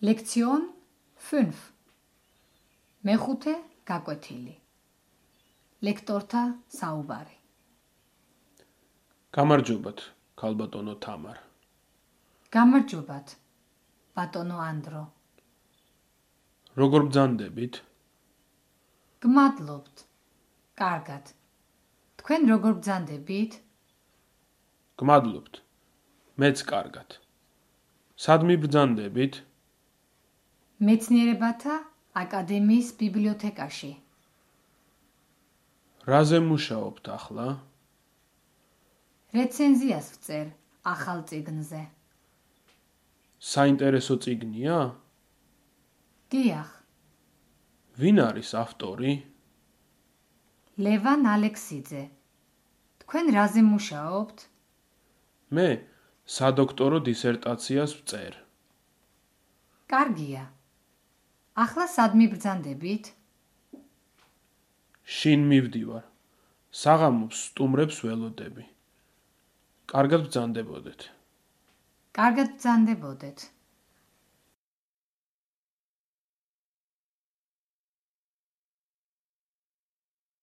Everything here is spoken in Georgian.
Lektion 5. მეხუთე გაკვეთილი. ლექტორთა საუბარი. გამარჯობათ, ქალბატონო თამარ. გამარჯობათ, ბატონო ანდრო. როგორ ბრძანდებით? გმადლობთ. კარგად. თქვენ როგორ ბრძანდებით? გმადლობთ. მეც კარგად. სად მიბრძანდებით? მეცნიერებათა აკადემიის ბიბლიოთეკაში. რაზე მუშაობთ ახლა? რეცენზიას ვწერ ახალ წიგნზე. საინტერესო წიგნია? დიახ, ვინ არის ავტორი? ლევან ალექსიძე. თქვენ რაზე მუშაობთ? მე სადოქტორო დისერტაციას ვწერ. კარგია. ახლა სად მიბრძანდებით? შინ მივდივარ. საღამოს სტუმრებს ველოდები. კარგად ბრძანდებოდეთ. კარგად ბრძანდებოდეთ.